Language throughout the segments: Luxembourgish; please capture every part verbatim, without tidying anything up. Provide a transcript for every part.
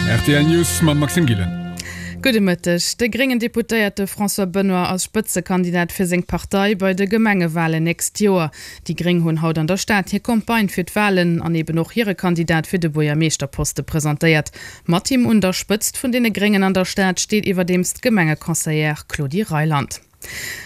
R T L News mam Maxime Gillen. Gudde Mëtteg. De gréngen Deputéierte François Benoy ass Spëtzekandidat fir seng Partei bei de Gemengewalen nächst Joer. Déi Gréng hunn haut an der Stad hir Campagne fir d'Walen an eben och hire Kandidat fir de Buergermeeschterposte presentéiert. Mat him un der Spëtzt vun deene Gréngen an der Stad steet iwwerdeems d'Gemengeconseillère Claudie Reyland.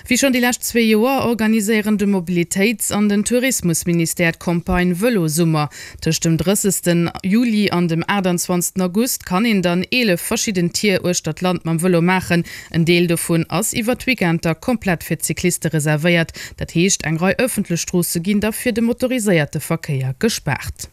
Wéi schonn déi lescht zwee Joer organiséieren de Mobilitéits an den Tourismusministère d'Campagne Vëlosummer. Tëscht dem drëssegsten Juli an dem aachtanzwanzegsten August kann een dann eelef verschidden Tier uechter d'Land mam Vëlo maachen. En Deel dovun ass iwwer d'Weekender komplett fir d'Cycliste reservéiert. Dat heescht, eng Rei ëffentlech Stroosse ginn da fir de motoriséierte Verkéier gespaart.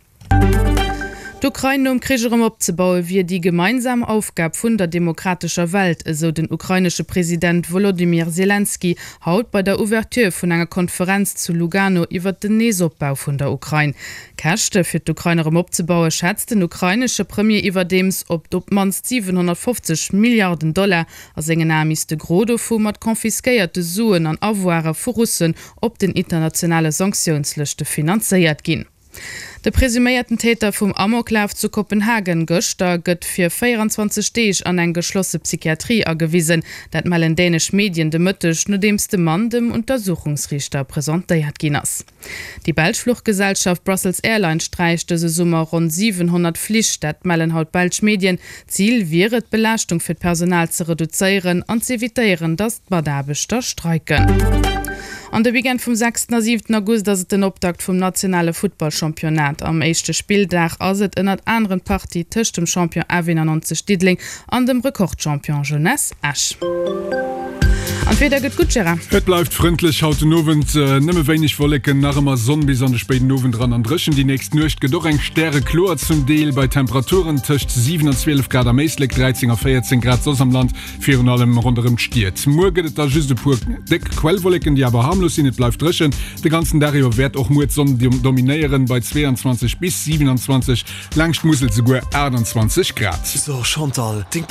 D'Ukrain nom Krich erëm opzebaue wier déi gemeinsam Aufgab vun der demokratescher Welt, esou den ukrainesche President Wolodymyr Selenskyj haut bei der Ouverture vun enger Konferenz zu Lugano iwwer den Neesopbau vun der Ukrain. D'Käschte fir d'Ukrain erëm opzebaue schätzt den ukrainesche Premier iwwerdeems op op d'mannst siwenhonnertfofzeg Milliarden Dollar. A sengen Ae misst de Gros dovu mat confisquéierte Suen an Avoire vu Russen op den internationale Sanktiounslëschte finanzéiert ginn. De presuméierten Täter vum Amoklaf zu Kopenhagen gëschter gëtt fir véieranzwanzeg Deeg an eng geschlosse Psychiatrie agewisen. Dat mellen dänesch Medien de Mëtteg, nodeems de Mann dem Untersuchungsriichter presentéiert ginn ass. Déi belsch Fluchgesellschaft Brussels Airlines sträicht dëse Summer ronn siwenhonnert Flich, dat mellen haut belsch Medien. Zil wier et, d'Belaaschtung fir d'Personal ze reduzéieren an z'evitéieren, datt d'Mataarbechter streiken. An de Weekend vum sechsten a siwenten August ass et den Optakt vum nationale Futtballchampionnat. Am éischte Spilldag ass et ënnert anerem d'Partie tëscht dem Champion F eenannonzeg Diddeleng an dem Rekordchampion Jeunesse Esch. An d'Wieder gëtt gutt, Gérard. Et bleift frëndlech haut den Owend, nëmme wéineg Wolleken, nach ëmmer Sonn bis an de spéiden Owend eran an dréchen. Déi nächst Nuecht gëtt och eng stärekloer, zum Deel bei Temperaturen tëscht siwen an zwielef Grad am Éislek, dräizéng a véierzéng Grad soss am Land, virun allem ronderëm d'Stied. Muer gëtt et da just e puer déck Quellwolleken, déi awer harmlos sinn. Et bleift dréchen. De ganzen Dag iwwer wäert och muer d'Sonn dominéieren, bei zweeanzwanzeg bis siwenanzwanzeg, laanscht d'Musel souguer aachtanzwanzeg Grad. So Chantal, deng